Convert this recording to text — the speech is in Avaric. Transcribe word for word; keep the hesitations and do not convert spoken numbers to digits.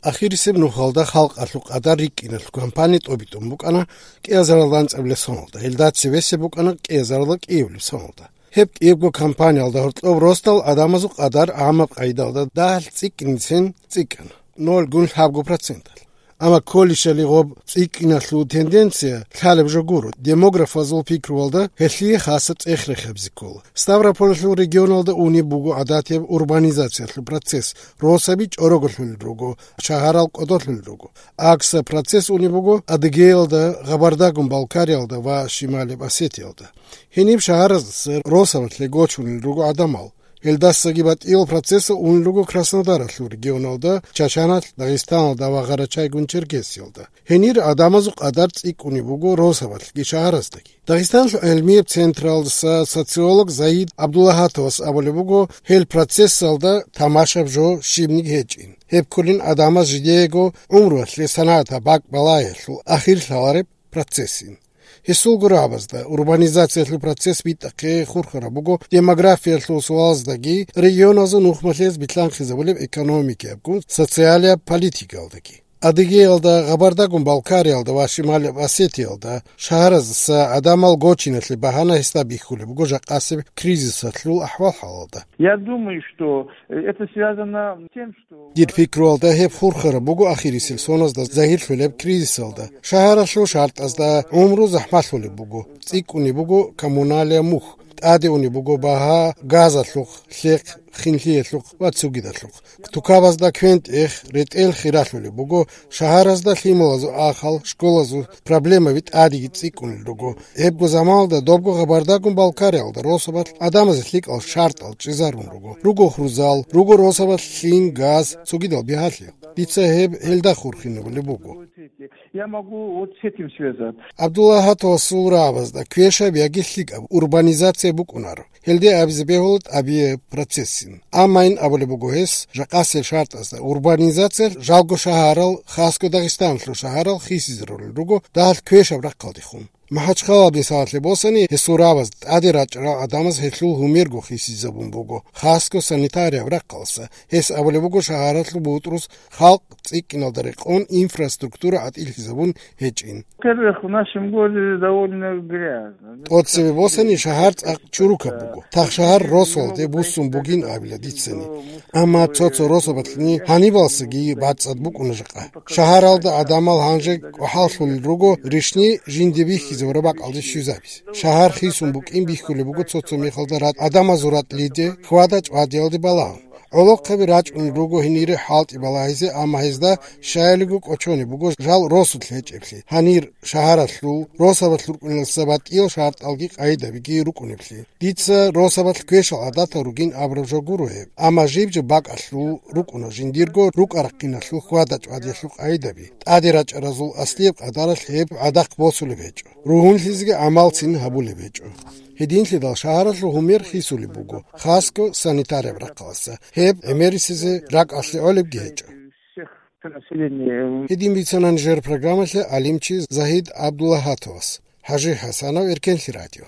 Ахирисеб нухалда халкъалъул къадар рикӀкӀиналъул кампания тӀобитӀун букӀана кӀиазаралда анцӀабилеб соналда, гьелда цевесеб букӀана кӀиазаралда кӀиабилеб соналда. Гьеб кӀиябго кампаниялда гьоркьоб росдал адамазул къадар гӀамаб къайдалда дагьалъ цӀикӀкӀинцин цӀикӀкӀана, ноль гун лъабго проценталъ. Амма кколищали гъоб цӀикӀкӀиналъул тенденция лъалеб жо гуро, демографазул пикруялда гьелъие хасаб цӀех рехизе ккола. Ставрополалъул регионалда унеб буго гӀадатияб урбанизациялъул процесс, росаби чӀороголъулел руго, шагьарал кӀодолъулел руго. АкӀса процесс унеб буго Адыгеялда, Гъабардагун-Балкариялда ва Шималияб Осетиялда. Гьениб шагьараздаса росабалъе гочунел руго гӀадамал. Гьелдасаги батӀиял процессал унел руго Краснодаралъул регионалда, Чачаналъ, Дагъистаналда ва Гъарачайгун-Черкесиялда. Гьенир гӀадамазул къадар цӀикӀкӀунеб буго росабалъги шагьараздаги. Дагъистаналъул гӀелмияб централдаса социолог Загьид Абдуллагьатовас абулеб буго, гьел процессалда тамашаб жо щибниги гьечӀин. Гьеб кколин гӀадамаз жидеего гӀумруялъе санагӀатаб бакӀ балагьиялъул ахир лъалареб процессин. Гьесул гурабазда урбанизациялъул процесс битӀахъе хурхараб буго демографиялъул суалаздаги, регионазул нухмалъиялъ билълъанхъизабулеб экономикиябгун социалияб политикаялдаги. Адыгеялда, Гъабардагун-Балкариялда ва Шималияб Осетиялда шагьараздаса гӀадамал гочиналъе багьана гьесда бихьулеб буго жакъасеб кризисалъул ахӀвал-хӀалалда. Я думаю, что это связано с тем, что Дир пикруялда гьеб хурхараб буго ахирисел соназда загьирлъулеб кризисалда. Шагьаралъул шартӀазда гӀумру захӀмалъулеб буго, цӀикӀкӀунеб буго коммуналияб мухь, тӀаде унеб буго багьа газалъухъ, лъехъ, хинлъиялъухъ ва цогидалъухъ. Тукабазда квен-тӀех, ретӀел хиралъулеб буго, шагьаразда лъималазул ахал, школазул проблемаби тӀадеги цӀикӀкӀунел руго. Гьебго заманалда добго Гъабардагун-Балкариялда росабалъ гӀадамазе лъикӀал шартӀал чӀезарун руго. Руго хурзал, руго росабалъ лъим, газ, цогидал бигьалъи. Дица гьеб гьелда хурхинабулеб буго. Я могу вот с этим связаться. Абдуллагьатовасул рагӀабазда квешаб яги лъикӀаб урбанизация букӀунаро. Гьелде абизе бегьула тӀабияб процессин. Амма ин абулеб буго гьес, жакъасел шартӀазда урбанизация жалго шагьарал, хасго Дагъистаналъул шагьарал хисизарулел руго дагьалъ квешаб рахъалдехун. МахӀачхъалаялда мисалалъе босани, гьесул рагӀабаз тӀаде рачӀарал гӀадамаз гьелъул гьумерго хисизабун буго, хасго санитарияб рахъалъа. Гьес абулеб буго шагьаралъул бутӀрус халкъ цӀикӀкӀиналда рекъон инфраструктура гӀатӀилъизабун гьечӀин. Во-первых, в нашем городе довольно грязно. ТӀоцебе босани, шагьар цӀакъ чурукаб буго. Тах шагьар росулде буссун бугин абила дицани. Амма цо-цо росабалъни гьанибалсаги бацӀцӀад букӀуна жакъа. Шагьаралда гӀадамал гьанже кӀвахӀаллъулел руго ришни жинде бихьизабураб бакӀалде щвезабизе. Шагьар хисун букӀин бихьулеб буго цо-цо мехалда ратӀ-, гӀадамазул ратӀлиде, хьвада-чӀвадиялде балагьун. ГӀолохъаби рачӀунел руго гьенире хӀалтӀи балагьизе, амма гьезда щаялиго кӀочонеб буго жал росулъ гьечӀеблъи, гьанир шагьаралъул, росабалъ рукӀунелдаса батӀиял шартӀалги къайдабиги рукӀунеблъи. Дица росабалъ квешал гӀадатал ругин абураб жо гуро гьеб, амма жиб-жиб бакӀалъул рукӀуна жиндирго рукӀа-рахъиналъул хьвада-чӀвадиялъул къайдаби. ТӀаде рачӀаразул аслияб къадаралъ гьеб гӀадахъ босулеб гьечӀо. Ругьунлъизеги гӀамалцин гьабулеб гьечӀо. Гьединлъидал шагьаралъул гьумер хисулеб буго, хасго санитарияб рахъалъа. Гьеб гӀемерисезе ракӀалъе гӀолебги гьечӀо. Гьедин бицана нижер программалъе гӀалимчи Загьид Абдуллагьатовас. ХӀажи ХӀасанов, Эркенлъи радио.